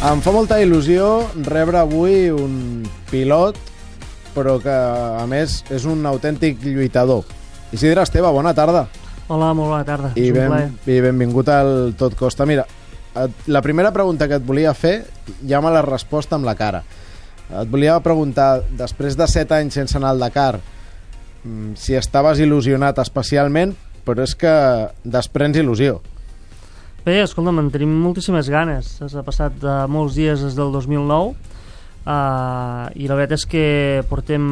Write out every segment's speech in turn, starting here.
Em fa molta il·lusió rebre avui un pilot, però que, a més, és un autèntic lluitador. Isidre Esteve, bona tarda. Hola, molt bona tarda. I benvingut al Tot Costa. Mira, la primera pregunta que et volia fer ja me l'has respost amb la cara. Et volia preguntar, després de 7 anys sense anar al Dakar, si estaves il·lusionat especialment, però és que desprens il·lusió. Bé, escolta'm, en tenim moltíssimes ganes. Ha passat molts dies des del 2009 i la veritat és que portem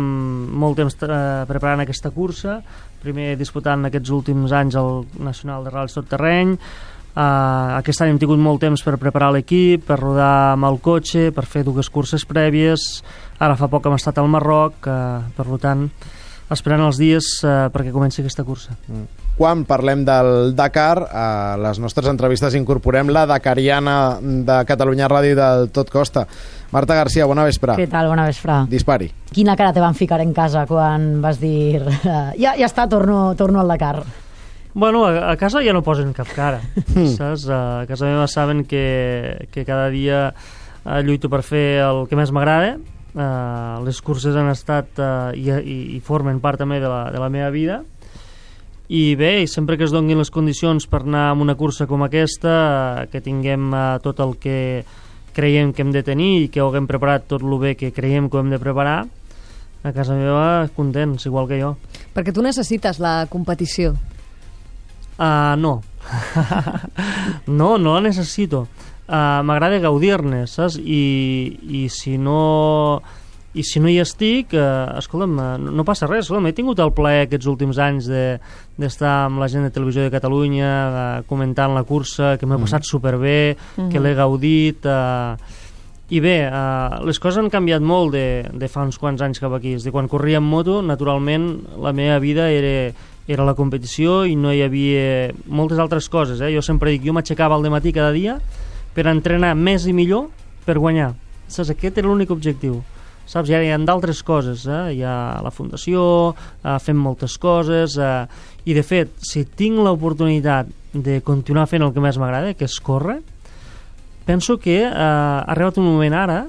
molt temps preparant aquesta cursa, primer disputant aquests últims anys el Nacional de Ral·lis tot terreny. Aquest any hem tingut molt temps per preparar l'equip, per rodar amb el cotxe, per fer 2 curses prèvies. Ara fa poc hem estat al Marroc, per tant, esperant els dies perquè comenci aquesta cursa. Quan parlem del Dakar, a les nostres entrevistes incorporem la dakariana de Catalunya Ràdio del Tot Costa. Marta García, bona vespre. Què tal? Bona vespre. Dispari. Quina cara te van ficar en casa quan vas dir ja està, torno al Dakar? Bueno, a casa ja no posen cap cara, saps? A casa meva saben que cada dia lluito per fer el que més m'agrada. Les curses han estat i formen part també de la meva vida. I bé, sempre que es donin les condicions per anar a una cursa com aquesta, que tinguem tot el que creiem que hem de tenir i que ho haguem preparat tot el bé que creiem que ho hem de preparar, a casa meva contents, igual que jo. Perquè tu necessites la competició. No. No la necessito. M'agrada gaudir-ne, saps? I si no hi estic, escolta'm, no passa res. Escolta'm, he tingut el plaer aquests últims anys d'estar amb la gent de Televisió de Catalunya comentant la cursa, que m'he passat superbé, que l'he gaudit. I bé, les coses han canviat molt de fa uns quants anys cap aquí. És a dir, quan corria en moto, naturalment, la meva vida era la competició i no hi havia moltes altres coses. Jo sempre dic, jo m'aixecava al dematí cada dia per entrenar més i millor per guanyar. Saps? Aquest era l'únic objectiu. Saps? I ara hi ha d'altres coses, hi ha la fundació, fem moltes coses, i de fet, si tinc l'oportunitat de continuar fent el que més m'agrada, que és córrer, penso que ha arribat un moment ara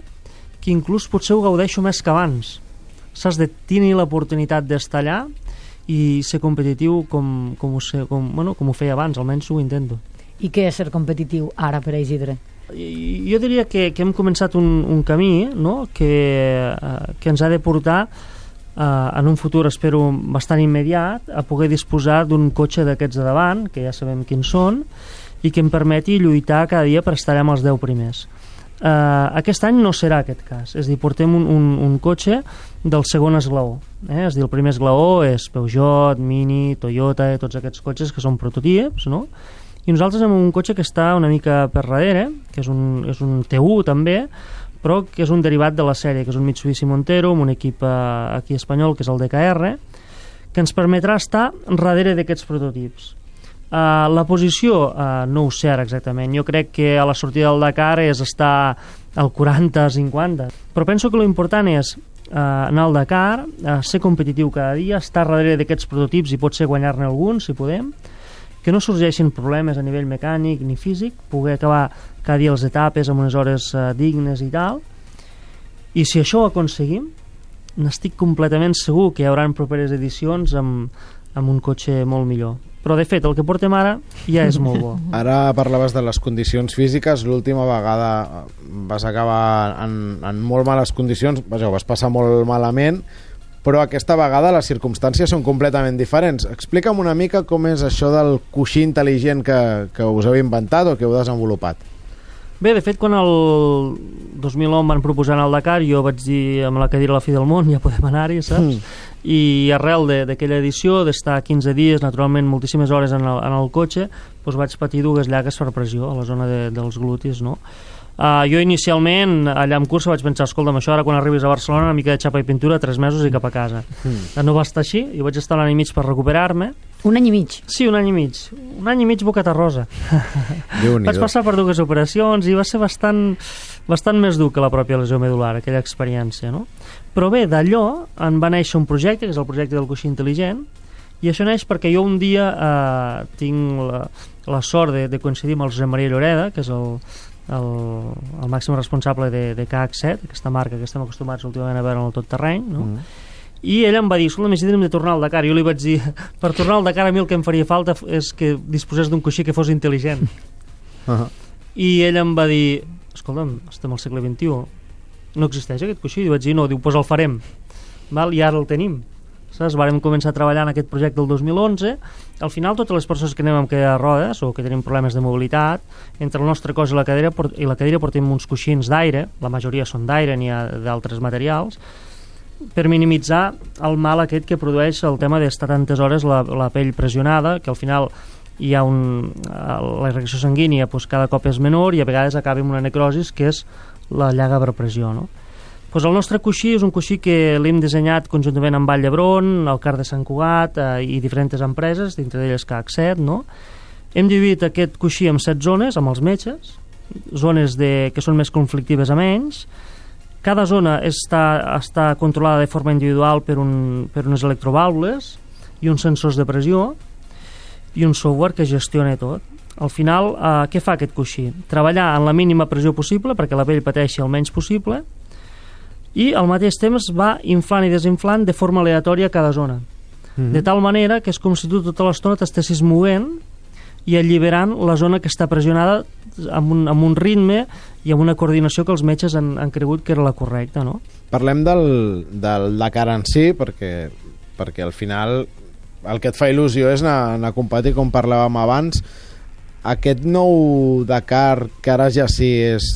que inclús potser ho gaudeixo més que abans. Saps? De tenir l'oportunitat d'estar allà i ser competitiu com ho feia abans, almenys ho intento. I què és ser competitiu ara per a Isidre? Jo diria que hem començat un camí, no? que ens ha de portar en un futur, espero, bastant immediat, a poder disposar d'un cotxe d'aquests de davant, que ja sabem quins són, i que em permeti lluitar cada dia per estar amb els 10 primers. Aquest any no serà aquest cas, és a dir, portem un cotxe del segon esglaó, és a dir, el primer esglaó és Peugeot, Mini, Toyota, tots aquests cotxes que són prototips, no? I nosaltres hem un cotxe que està una mica per darrere, que és un T1 també, però que és un derivat de la sèrie, que és un Mitsubishi Montero, amb un equip aquí espanyol, que és el DKR, que ens permetrà estar darrere d'aquests prototips. La posició no ho sé ara exactament, jo crec que a la sortida del Dakar és estar al 40-50, però penso que l'important és anar al Dakar, ser competitiu cada dia, estar darrere d'aquests prototips i potser guanyar-ne algun, si podem, que no sorgeixin problemes a nivell mecànic ni físic, poder acabar cada dia les etapes amb unes hores dignes i tal. I si això ho aconseguim, n'estic completament segur que hi haurà properes edicions amb un cotxe molt millor. Però, de fet, el que portem ara ja és molt bo. Ara parlaves de les condicions físiques. L'última vegada vas acabar en molt males condicions. Vaja, ho vas passar molt malament, però aquesta vegada les circumstàncies són completament diferents. Explica'm una mica com és això del coixí intel·ligent que us heu inventat o que heu desenvolupat. Bé, de fet, quan el 2011 em van proposar anar al Dakar, jo vaig dir amb la cadira a la fi del món, ja podem anar-hi, saps? I arrel d'aquella edició, d'estar 15 dies, naturalment moltíssimes hores en el cotxe, doncs vaig patir 2 llagues per pressió a la zona dels glutis, no? Jo inicialment allà en cursa vaig pensar, escolta'm, això ara quan arribis a Barcelona una mica de xapa i pintura, 3 mesos i cap a casa. No va estar així, i vaig estar un any i mig per recuperar-me. Un any i mig? Sí, un any i mig. Un any i mig bocata rosa. Vaig passar per 2 operacions i va ser bastant més dur que la pròpia lesió medular, aquella experiència, no? Però bé, d'allò en va néixer un projecte, que és el projecte del coixí intel·ligent, i això neix perquè jo un dia tinc la sort de coincidir amb el Josep Maria Lloreda, que és el màxim responsable de KH7, aquesta marca que estem acostumats últimament a veure en el tot terreny, no? I ell em va dir, escolta, m'he de tornar al Dakar. Jo li vaig dir, per tornar al Dakar a mi el que em faria falta és que disposés d'un coixí que fos intel·ligent. I ell em va dir, escolta'm, estem al segle XXI, no existeix aquest coixí? I vaig dir, no, diu, doncs el farem. I ara el tenim. Saps? Vàrem començar a treballar en aquest projecte el 2011. Al final, totes les persones que anem amb cadira de rodes o que tenim problemes de mobilitat, entre el nostre cos i la cadira portem uns coixins d'aire, la majoria són d'aire, n'hi ha d'altres materials, per minimitzar el mal aquest que produeix el tema d'estar tantes hores la pell pressionada, que al final hi ha la irrigació sanguínia cada cop és menor i a vegades acaba amb una necrosis, que és la llaga per pressió, no? El nostre coixí és un coixí que l'hem dissenyat conjuntament amb Vall d'Hebron, el CAR de Sant Cugat i diferents empreses, dintre d'elles KH7, no? Hem dividit aquest coixí en 7 zones, amb els metges, zones que són més conflictives a menys. Cada zona està controlada de forma individual per unes electrovàlvules i uns sensors de pressió i un software que gestiona tot. Al final, què fa aquest coixí? Treballar en la mínima pressió possible perquè la pell pateixi el menys possible i al mateix temps va inflant i desinflant de forma aleatòria cada zona. De tal manera que és com si tu tota l'estona t'estessis movent i alliberant la zona que està pressionada amb un ritme i amb una coordinació que els metges han cregut que era la correcta, no? Parlem del Dakar en si, perquè al final el que et fa il·lusió és anar a competir, com parlàvem abans. Aquest nou Dakar, que ara ja sí és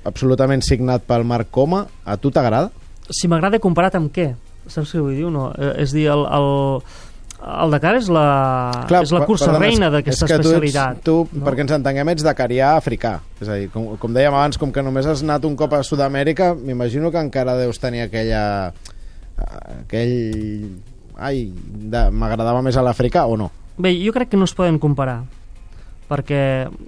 absolutament signat pel Marc Coma, a tu t'agrada? Si m'agrada comparat amb què? Saps què vull dir o no? És dir, el Dakar és la cursa reina d'aquesta especialitat. Tu, no? Perquè ens entenguem, ets dakarià africà. És a dir, com dèiem abans, com que només has anat un cop a Sud-amèrica, m'imagino que encara deus tenir m'agradava més a l'africà, o no? Bé, jo crec que no es poden comparar, perquè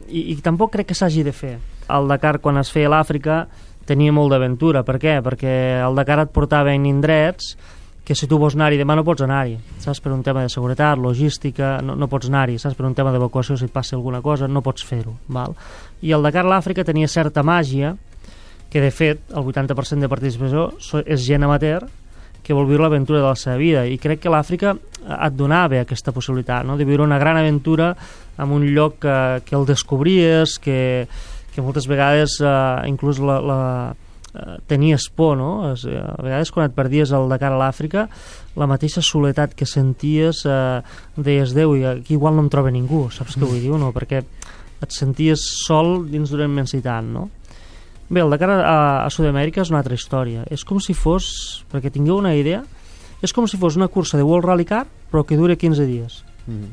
i tampoc crec que s'hagi de fer. El Dakar, quan es feia a l'Àfrica, tenia molt d'aventura. Per què? Perquè el Dakar et portava en indrets que si tu vols anar-hi demà no pots anar-hi, saps? Per un tema de seguretat, logística, no pots anar-hi, saps? Per un tema d'evacuació, si et passa alguna cosa, no pots fer-ho, val? I el Dakar a l'Àfrica tenia certa màgia, que de fet el 80% de participació és gent amateur que vol viure l'aventura de la seva vida, i crec que l'Àfrica et donava aquesta possibilitat, no? De viure una gran aventura en un lloc que el descobries, que moltes vegades inclús tenies por, no? A vegades quan et perdies el Dakar a l'Àfrica, la mateixa soledat que senties, deies, Déu, i aquí igual no em troba ningú, saps què vull dir, no? Perquè et senties sol dins d'una immensitat, no? Bé, el Dakar a Sud-amèrica és una altra història. És com si fos, perquè tingueu una idea, és com si fos una cursa de World Rally Car, però que dura 15 dies.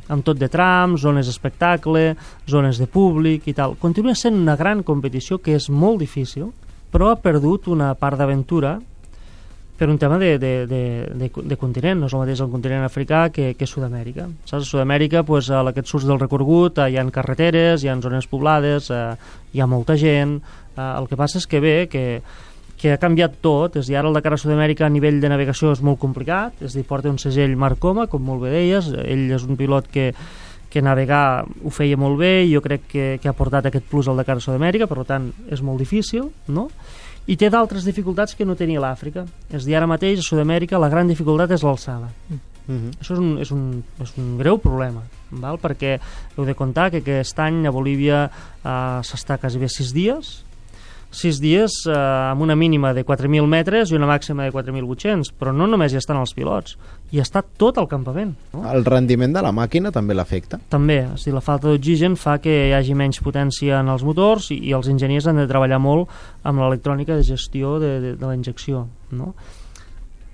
Amb tot de trams, zones d'espectacle, zones de públic i tal. Continua sent una gran competició que és molt difícil, però ha perdut una part d'aventura per un tema de continent. No és el mateix el continent africà que Sud-amèrica. Saps? A Sud-amèrica, doncs, a aquest surts del recorregut, hi ha carreteres, hi ha zones poblades, hi ha molta gent. El que passa és que que ha canviat tot, és a dir, ara el Dakar a Sud-amèrica a nivell de navegació és molt complicat, és a dir, porta un segell Marc Coma, com molt bé deies, ell és un pilot que navegar ho feia molt bé, i jo crec que ha portat aquest plus al Dakar a Sud-amèrica, per tant és molt difícil, no? I té d'altres dificultats que no tenia l'Àfrica. És a dir, ara mateix a Sud-amèrica la gran dificultat és l'alçada. Això és un greu problema, val? Perquè heu de comptar que aquest any a Bolívia s'està quasi bé 6 dies amb una mínima de 4.000 metres i una màxima de 4.800, però no només hi estan els pilots, hi està tot el campament, no? El rendiment de la màquina també l'afecta? També, és a dir, la falta d'oxigen fa que hi hagi menys potència en els motors i els enginyers han de treballar molt amb l'electrònica de gestió de la injecció, no?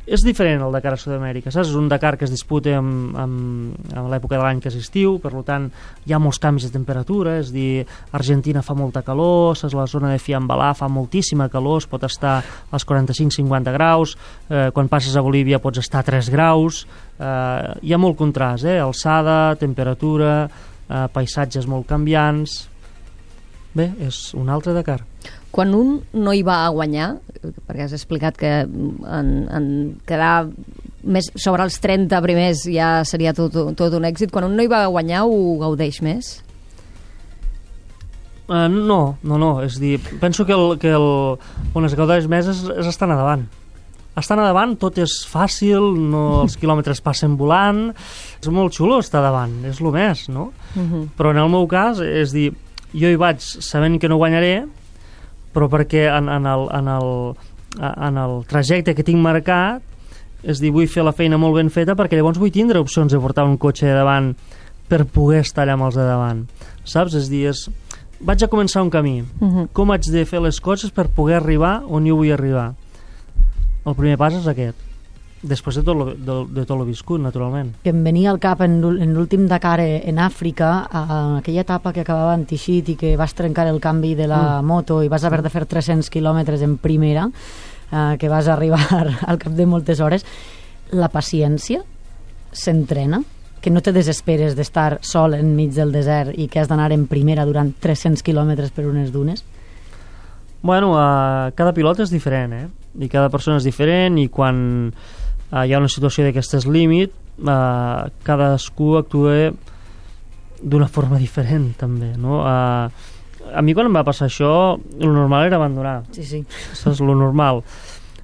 És diferent el Dakar a Sud-amèrica, saps? És un Dakar que es disputa amb l'època de l'any que és estiu, per tant hi ha molts canvis de temperatura, és a dir, Argentina fa molta calor, saps? La zona de Fiambalà fa moltíssima calor, es pot estar als 45-50 graus, quan passes a Bolívia pots estar a 3 graus, hi ha molt contrast, alçada, temperatura, paisatges molt canviants. Bé, és un altre Dakar. Quan un no hi va a guanyar, perquè has explicat que en quedar més sobre els 30 primers ja seria tot un èxit, quan un no hi va a guanyar ho gaudeix més? No, és dir, penso que on es gaudeix més és estar a davant. Estar a davant tot és fàcil, els quilòmetres passen volant, és molt xulo estar davant, és el més, no? Però en el meu cas, és dir, jo hi vaig sabent que no guanyaré, però perquè en el trajecte que tinc marcat, és dir, vull fer la feina molt ben feta perquè llavors vull tindre opcions de portar un cotxe de davant per poder estar allà amb els de davant, saps? És dir, vaig a començar un camí. Com haig de fer les coses per poder arribar on jo vull arribar? El primer pas és aquest. Després de tot lo viscut, naturalment. Que em venia al cap en l'últim Dakar en Àfrica, en aquella etapa que acabava en Tixit i que vas trencar el canvi de la moto i vas haver de fer 300 quilòmetres en primera, que vas arribar al cap de moltes hores. La paciència s'entrena? Que no te desesperes d'estar sol enmig del desert i que has d'anar en primera durant 300 quilòmetres per unes dunes? Bueno, cada pilot és diferent, i cada persona és diferent, i quan hi ha una situació d'aquestes límit, cadascú actua d'una forma diferent, també, no? A mi quan em va passar això, el normal era abandonar. Sí. Saps? Lo normal.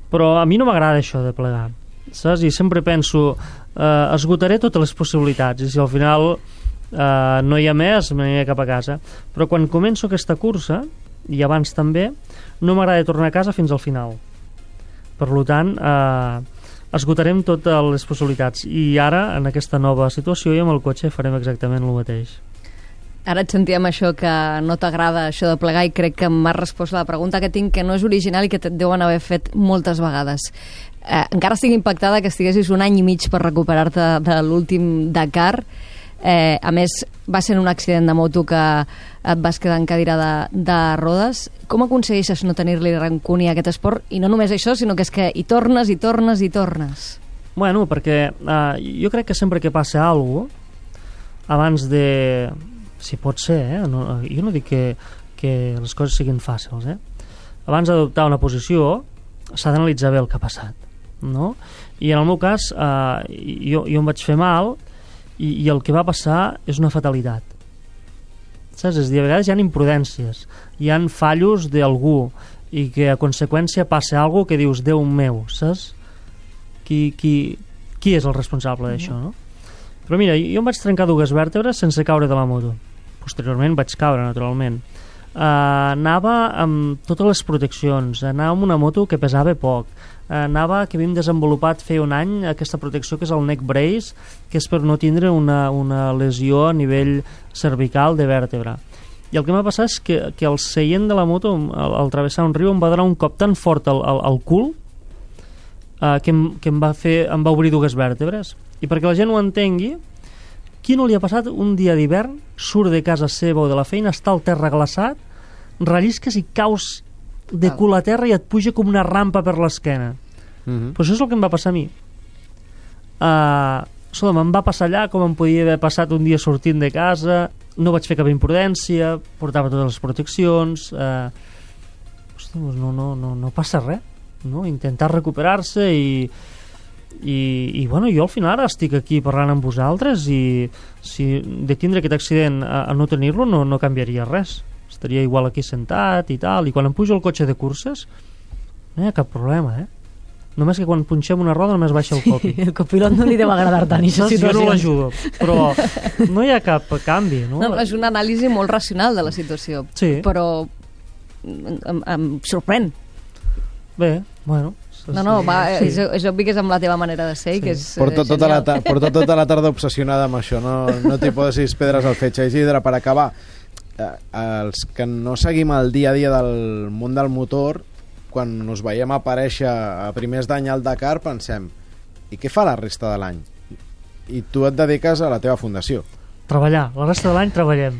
Però a mi no m'agrada això de plegar, saps? I sempre penso, esgotaré totes les possibilitats, i si al final no hi ha més, m'aniré cap a casa. Però quan començo aquesta cursa, i abans també, no m'agrada tornar a casa fins al final. Per tant, esgotarem totes les possibilitats, i ara, en aquesta nova situació, i amb el cotxe farem exactament el mateix. Ara et sentíem això que no t'agrada això de plegar, i crec que m'has respost a la pregunta que tinc, que no és original i que et deuen haver fet moltes vegades. Encara estic impactada que estiguessis 1 any i mig per recuperar-te de l'últim Dakar. A més, va ser en un accident de moto que et vas quedar en cadira de rodes. Com aconsegueixes no tenir-li rancúnia a aquest esport? I no només això, sinó que és que hi tornes. Bueno, perquè jo crec que sempre que passa alguna cosa, abans de... Si pot ser, jo no dic que les coses siguin fàcils, abans d'adoptar una posició s'ha d'analitzar bé el que ha passat, no? I en el meu cas, jo em vaig fer mal, i el que va passar és una fatalitat, saps? És a dir, a vegades hi ha imprudències, hi ha fallos d'algú, i que a conseqüència passa alguna que dius, Déu meu, saps? Qui és el responsable d'això, no? Però mira, jo em vaig trencar 2 vèrtebres sense caure de la moto. Posteriorment vaig caure, naturalment. Anava amb totes les proteccions, anava amb una moto que pesava poc, que havíem desenvolupat fer 1 any aquesta protecció que és el neck brace, que és per no tindre una lesió a nivell cervical de vèrtebra. I el que m'ha passat és que el seient de la moto, al travessar un riu, em va donar un cop tan fort al cul que em va obrir 2 vèrtebres. I perquè la gent ho entengui, qui no li ha passat un dia d'hivern, surt de casa seva o de la feina, està al terra glaçat, rellisques i caus de cul a terra i et puja com una rampa per l'esquena. Però això és el que em va passar a mi. Em va passar allà com em podia haver passat un dia sortint de casa, no vaig fer cap imprudència, portava totes les proteccions, no passa res, no? Intentar recuperar-se i bueno, jo al final ara estic aquí parlant amb vosaltres, i si de tindre aquest accident a no tenir-lo no canviaria res, estaria igual aquí sentat i tal, i quan em pujo al cotxe de curses no hi ha cap problema, només que quan punxem una roda només baixa el copi. El copilot no li deu agradar tant aquesta situació. Jo no l'ajudo, però no hi ha cap canvi, no? No, és una anàlisi molt racional de la situació, sí. Però em sorprèn. Bé, bueno, és obvi que és amb la teva manera de ser, que és porto tota la tarda obsessionada amb això, no t'hi poses pedres al fetge. Isidre, per acabar, els que no seguim el dia a dia del món del motor, quan us veiem aparèixer a primers d'any al Dakar, pensem, i què fa la resta de l'any? I tu et dediques a la teva fundació. Treballar, la resta de l'any treballem.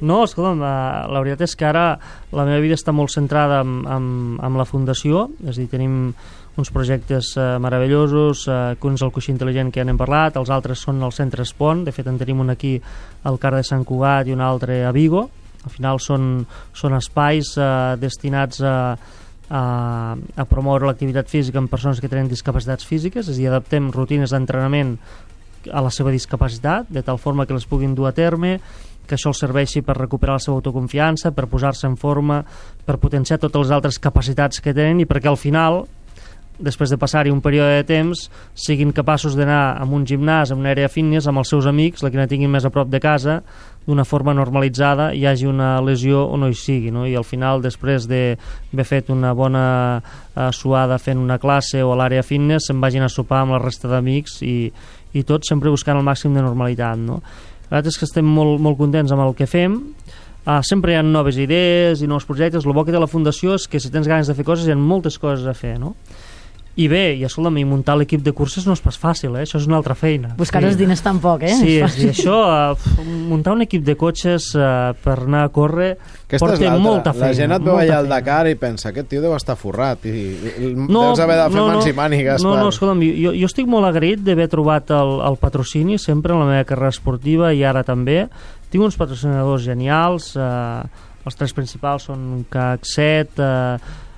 No, escolta'm, la veritat és que ara la meva vida està molt centrada amb la fundació, és a dir, tenim uns projectes meravellosos, que un és el coixí intel·ligent que ja n'hem parlat, els altres són el centre Espont, de fet en tenim un aquí al CAR de Sant Cugat i un altre a Vigo. Al final són espais destinats a promoure l'activitat física en persones que tenen discapacitats físiques, és a dir, adaptem rutines d'entrenament a la seva discapacitat, de tal forma que les puguin dur a terme que això els serveixi per recuperar la seva autoconfiança, per posar-se en forma, per potenciar totes les altres capacitats que tenen i perquè al final, després de passar-hi un període de temps, siguin capaços d'anar a un gimnàs, a una àrea fitness, amb els seus amics, la que no tinguin més a prop de casa, d'una forma normalitzada, hi hagi una lesió o no hi sigui, no? I al final, després d'haver fet una bona suada fent una classe o a l'àrea fitness, se'n vagin a sopar amb la resta d'amics i tots sempre buscant el màxim de normalitat, no? La veritat és que estem molt contents amb el que fem. Sempre hi ha noves idees i nous projectes. El bo que té la Fundació és que si tens ganes de fer coses hi ha moltes coses a fer, no? I bé, i escolta'm, muntar l'equip de curses no és pas fàcil, això és una altra feina. Buscar els diners tampoc, Sí, és dir, això, muntar un equip de cotxes per anar a córrer porta molta feina. La gent et veu allà al Dakar i pensa, aquest tio deu estar forrat i deus haver de fer mans i mànigues. No, escolta'm, jo estic molt agraït d'haver trobat el patrocini sempre en la meva carrera esportiva i ara també. Tinc uns patrocinadors genials, els tres principals són CAC7,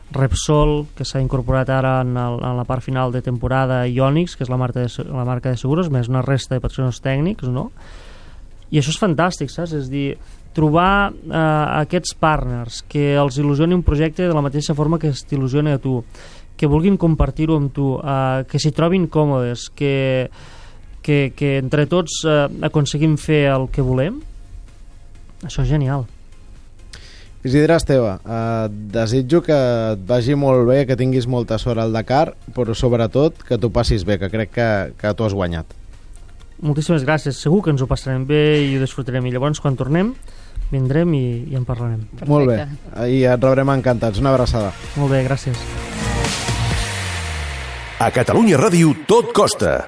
Repsol, que s'ha incorporat ara en la part final de temporada, i Onyx, que és la marca de seguros, més una resta de patrocinadors tècnics, no? I això és fantàstic, saps? És dir, trobar aquests partners que els il·lusioni un projecte de la mateixa forma que t'il·lusiona a tu, que vulguin compartir-ho amb tu, que s'hi trobin còmodes, que entre tots aconseguim fer el que volem. Això és genial. Isidre Esteve, desitjo que et vagi molt bé, que tinguis molta sort al Dakar, però sobretot que t'ho passis bé, que crec que t'ho has guanyat. Moltíssimes gràcies, segur que ens ho passarem bé i ho disfrutarem, i llavors quan tornem vindrem i en parlarem. Perfecte. Molt bé, i et rebrem encantats. Una abraçada. Molt bé, gràcies. A Catalunya Ràdio tot costa.